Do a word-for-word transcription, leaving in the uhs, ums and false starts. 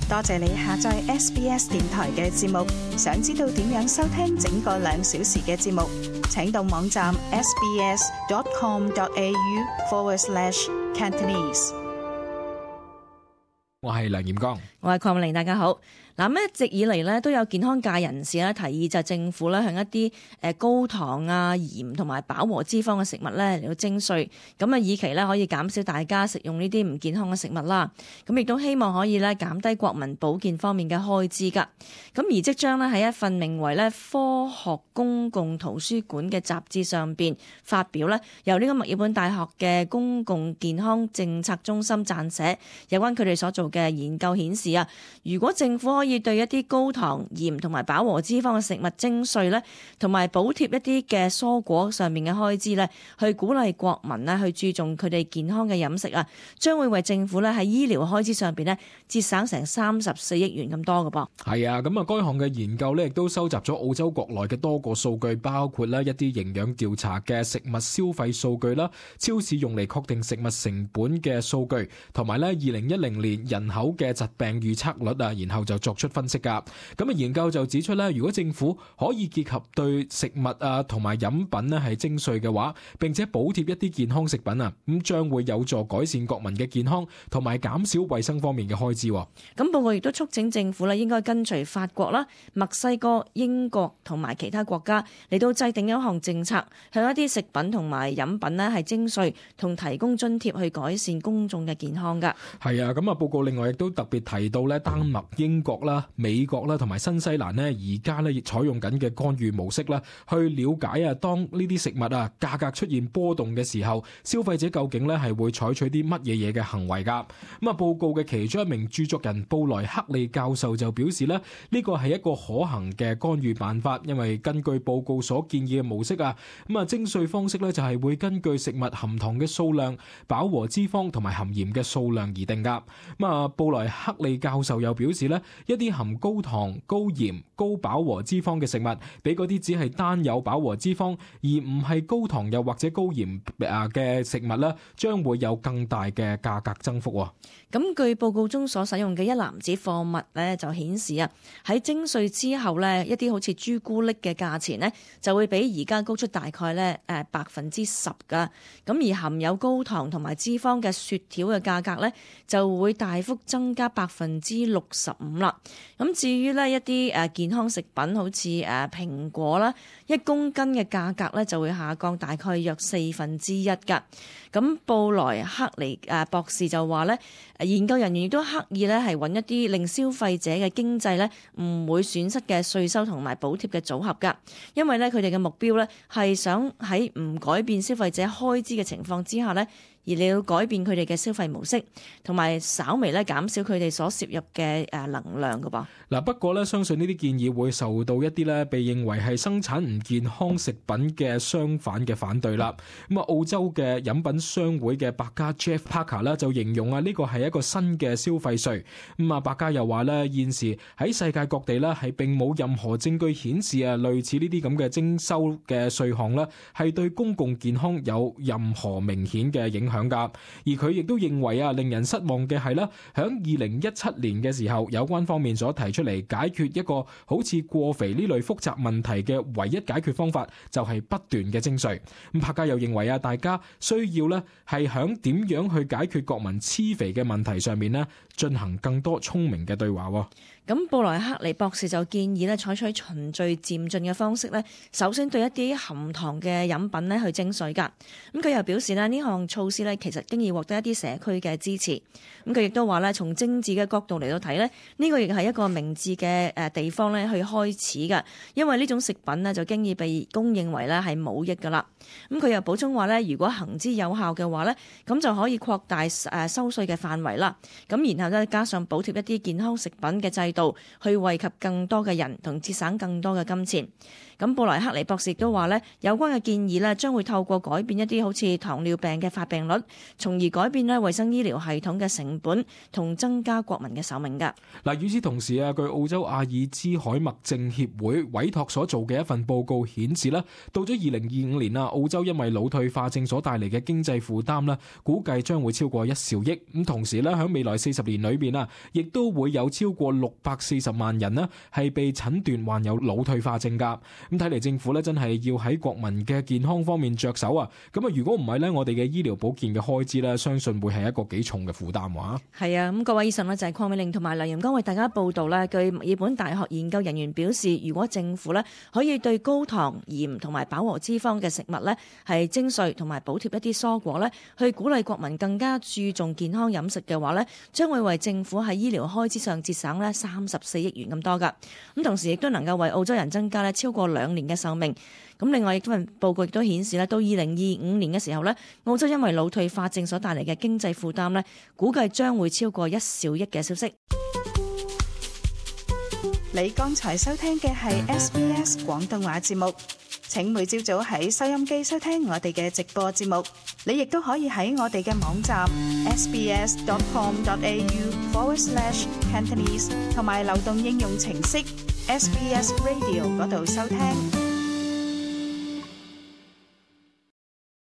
多謝你下載 S B S 電台嘅節目。想知道點樣收聽整個兩小時嘅節目，請到網站 sbs.com.au forward slash Cantonese。我係梁炎光，我係鄺美玲，大家好。嗱，咁一直以嚟咧都有健康界人士咧提議，就係政府咧向一啲誒高糖啊、鹽同埋飽和脂肪嘅食物咧嚟到徵稅，咁啊以期咧可以減少大家食用呢啲唔健康嘅食物啦。咁亦都希望可以咧減低國民保健方面嘅開支㗎。咁而即將咧喺一份名為咧科學公共圖書館嘅雜誌上邊發表咧，由呢個墨爾本大學嘅公共健康政策中心撰寫有關佢哋所做嘅研究顯示啊，如果政府可以對一啲高糖、鹽同埋飽和脂肪嘅食物徵稅咧，同埋補貼一啲嘅蔬果上面嘅開支咧，去鼓勵國民咧去注重佢哋健康嘅飲食啊，將會為政府咧喺醫療開支上邊咧節省成三十四億元咁多嘅噃。係啊，咁啊，該項嘅研究咧亦都收集咗澳洲國內嘅多個數據，包括咧一啲營養調查嘅食物消費數據啦，超市用嚟確定食物成本嘅數據，同埋咧二零一零年人口嘅疾病預測率啊，然後就作出分析噶。咁啊，研究就指出咧，如果政府可以結合對食物啊同埋飲品咧係徵稅嘅話，並且補貼一啲健康食品啊，咁將會有助改善國民嘅健康，同埋減少衛生方面嘅開支。咁報告亦都促請政府咧應該跟隨法國啦、墨西哥、英國同埋其他國家嚟到制定一項政策，向一啲食品同埋飲品咧係徵稅同提供津貼，去改善公眾嘅健康噶。係啊，咁啊報告另外亦都特別提到咧，丹麥、英國啦、美國啦同埋新西蘭呢，而家咧亦採用緊嘅干預模式啦，去了解啊，當呢啲食物啊價格出現波動嘅時候，消費者究竟咧係會採取啲乜嘢嘢嘅行為噶。咁啊，報告嘅其中一名著作人布萊克利教授就表示咧，呢個係一個可行嘅干預辦法，因為根據報告所建議嘅模式啊，咁啊徵稅方式咧就係會根據食物含糖嘅數量、飽和脂肪同埋含鹽嘅數量而定噶。咁啊，布萊克利教授又表示咧，一啲含高糖、高鹽、高飽和脂肪嘅食物，比嗰啲只係單有飽和脂肪而唔係高糖又或者高鹽啊嘅食物咧，將會有更大嘅價格增幅。咁據報告中所使用嘅一籃子貨物咧，就顯示啊，喺徵稅之後咧，一啲好似朱古力嘅價錢咧，就會比而家高出大概咧誒百分之十噶。咁而含有高糖同埋脂肪嘅雪條嘅價格咧，就會大幅增加百分之六十五啦。咁至於呢一啲誒健康食品，好似誒蘋果啦，一公斤嘅價格咧就會下降大概約四分之一噶。咁布萊克尼誒博士就話咧，研究人員亦都刻意咧係揾一啲令消費者嘅經濟咧唔會損失嘅稅收同埋補貼嘅組合噶，因為咧佢哋嘅目標咧係想喺唔改變消費者開支嘅情況之下咧，而你要改變佢哋嘅消費模式，同埋稍微咧減少佢哋所攝入嘅誒能量噶噃。嗱，不過咧，相信呢啲建議會受到一啲咧被認為係生產唔健康食品嘅商販嘅反對啦。咁啊，澳洲嘅飲品商會嘅百家 Jeff Parker 咧就形容啊，呢個係一個新嘅消費稅。咁啊，百家又話咧，現時喺世界各地咧係並冇任何證據顯示啊，類似呢啲咁嘅徵收嘅稅項咧係對公共健康有任何明顯嘅影響噶。而佢亦都認為啊，令人失望嘅係啦，響二零一七年嘅時候，有關方面所提出嚟解決一個好似過肥呢類複雜問題嘅唯一解決方法，就係不斷嘅徵稅。咁柏嘉又認為啊，大家需要咧係響點樣去解決國民黐肥嘅問題上面咧，進行更多聰明嘅對話。咁布萊克尼博士就建議咧採取循序漸進嘅方式咧，首先對一啲含糖嘅飲品咧去徵稅㗎。咁佢又表示咧，呢項措施咧其實經已獲得一啲社區嘅支持。咁佢亦都話咧，從政治嘅角度嚟到睇咧，呢個亦係一個明智嘅誒地方咧去開始㗎，因為呢種食品咧就經已被公認為咧係冇益㗎啦。咁佢又補充話咧，如果行之有效嘅話咧，咁就可以擴大誒收稅嘅範圍啦。咁然後咧加上補貼一啲健康食品嘅制度，去惠及更多嘅人同節省更多嘅金錢。咁布萊克尼博士亦都話呢，有關嘅建議呢將會透過改變一啲好似糖尿病嘅發病率，從而改變呢衛生醫療系統嘅成本，同增加國民嘅壽命㗎。嗱，與此同時啊，據澳洲阿爾茲海默症協會委託所做嘅一份報告顯示咧，到咗二零二五年啊，澳洲因為腦退化症所帶嚟嘅經濟負擔咧，估計將會超過一兆億。咁同時咧，喺未來四十年裏邊啊，亦都會有超過六百四十萬人咧係被診斷患有腦退化症㗎。咁睇嚟政府咧真係要喺國民嘅健康方面着手啊。咁啊，如果唔係咧，我哋嘅醫療保健嘅開支咧，相信會係一個幾重嘅負擔喎。係啊，咁各位醫生呢，就係鄺美玲同埋梁炎剛為大家報道咧。據墨爾本大學研究人員表示，如果政府咧可以對高糖、鹽同埋飽和脂肪嘅食物咧係徵稅同埋補貼一啲蔬果咧，去鼓勵國民更加注重健康飲食嘅話咧，將會為政府喺醫療開支上節省咧三十四億元咁多噶。咁同時亦都能夠為澳洲人增加咧超過兩年嘅壽命。咁另外，亦都份報告亦都顯示咧，到二零二五年嘅時候咧，澳洲因為腦退化症所帶嚟嘅經濟負擔咧，估計將會超過一兆億嘅消息。你剛才收聽嘅係 S B S 廣東話節目。請每朝早喺收音機收聽我哋嘅直播節目。你亦都可以喺我哋嘅網站 s b s dot com dot a u forward slash cantonese 同埋流動應用程式 S B S Radio 嗰度收聽。